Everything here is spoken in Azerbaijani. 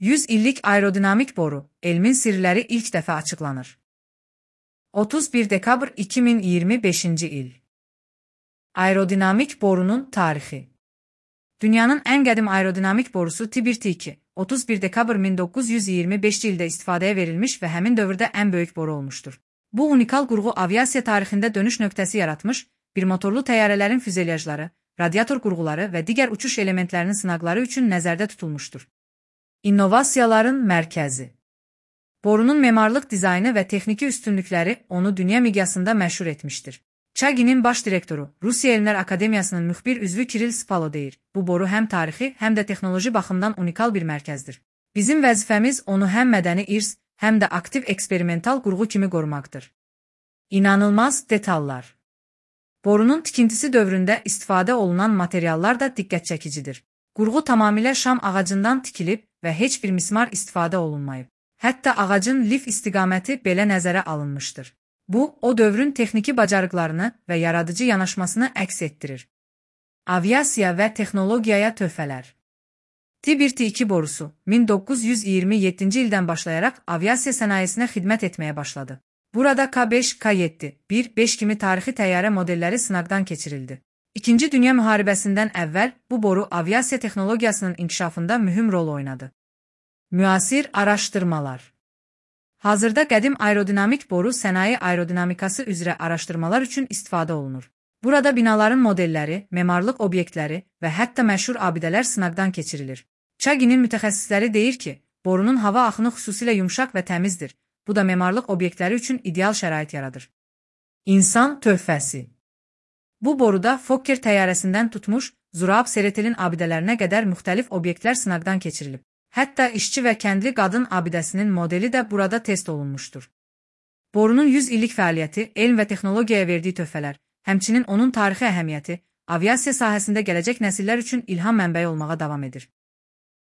100 illik aerodinamik boru, elmin sirləri ilk dəfə açıqlanır. 31 dekabr 2025 il. Aerodinamik borunun tarixi. Dünyanın ən qədim aerodinamik borusu TBT-2, 31 dekabr 1925 ildə istifadəyə verilmiş və həmin dövrdə ən böyük boru olmuşdur. Bu unikal qurğu aviasiya tarixində dönüş nöqtəsi yaratmış, bir motorlu təyyarələrin füzelyajları, radiator qurğuları və digər uçuş elementlərinin sınaqları üçün nəzərdə tutulmuşdur. İnnovasiyaların mərkəzi. Borunun memarlıq dizaynı və texniki üstünlükləri onu dünya miqyasında məşhur etmişdir. Çaginin baş direktoru, Rusiya Elmlər Akademiyasının müxbir üzvü Kiril Spalo deyir, bu boru həm tarixi, həm də texnoloji baxımdan unikal bir mərkəzdir. Bizim vəzifəmiz onu həm mədəni irs, həm də aktiv eksperimental qurğu kimi qorumaqdır. İnanılmaz detallar. Borunun tikintisi dövründə istifadə olunan materiallar da diqqət çəkicidir. Qurğu tamamilə şam ağacından tikilib və heç bir mismar istifadə olunmayıb. Hətta ağacın lif istiqaməti belə nəzərə alınmışdır. Bu, o dövrün texniki bacarıqlarını və yaradıcı yanaşmasını əks etdirir. Aviasiya və texnologiyaya töhfələr. TBT-2 borusu 1927-ci ildən başlayaraq aviasiya sənayesinə xidmət etməyə başladı. Burada K5, K7, 1-5 kimi tarixi təyyarə modelləri sınaqdan keçirildi. İkinci Dünya müharibəsindən əvvəl bu boru aviasiya texnologiyasının inkişafında mühüm rol oynadı. Müasir araşdırmalar. Hazırda qədim aerodinamik boru sənaye aerodinamikası üzrə araşdırmalar üçün istifadə olunur. Burada binaların modelləri, memarlıq obyektləri və hətta məşhur abidələr sınaqdan keçirilir. Çaginin mütəxəssisləri deyir ki, borunun hava axını xüsusilə yumşaq və təmizdir. Bu da memarlıq obyektləri üçün ideal şərait yaradır. İnsan töhfəsi. Bu boruda Fokker təyyarəsindən tutmuş, Zurab Seretelin abidələrinə qədər müxtəlif obyektlər sınaqdan keçirilib. Hətta işçi və kəndli qadın abidəsinin modeli də burada test olunmuşdur. Borunun 100 illik fəaliyyəti, elm və texnologiyaya verdiyi töhfələr, həmçinin onun tarixi əhəmiyyəti, aviasiya sahəsində gələcək nəsillər üçün ilham mənbəyi olmağa davam edir.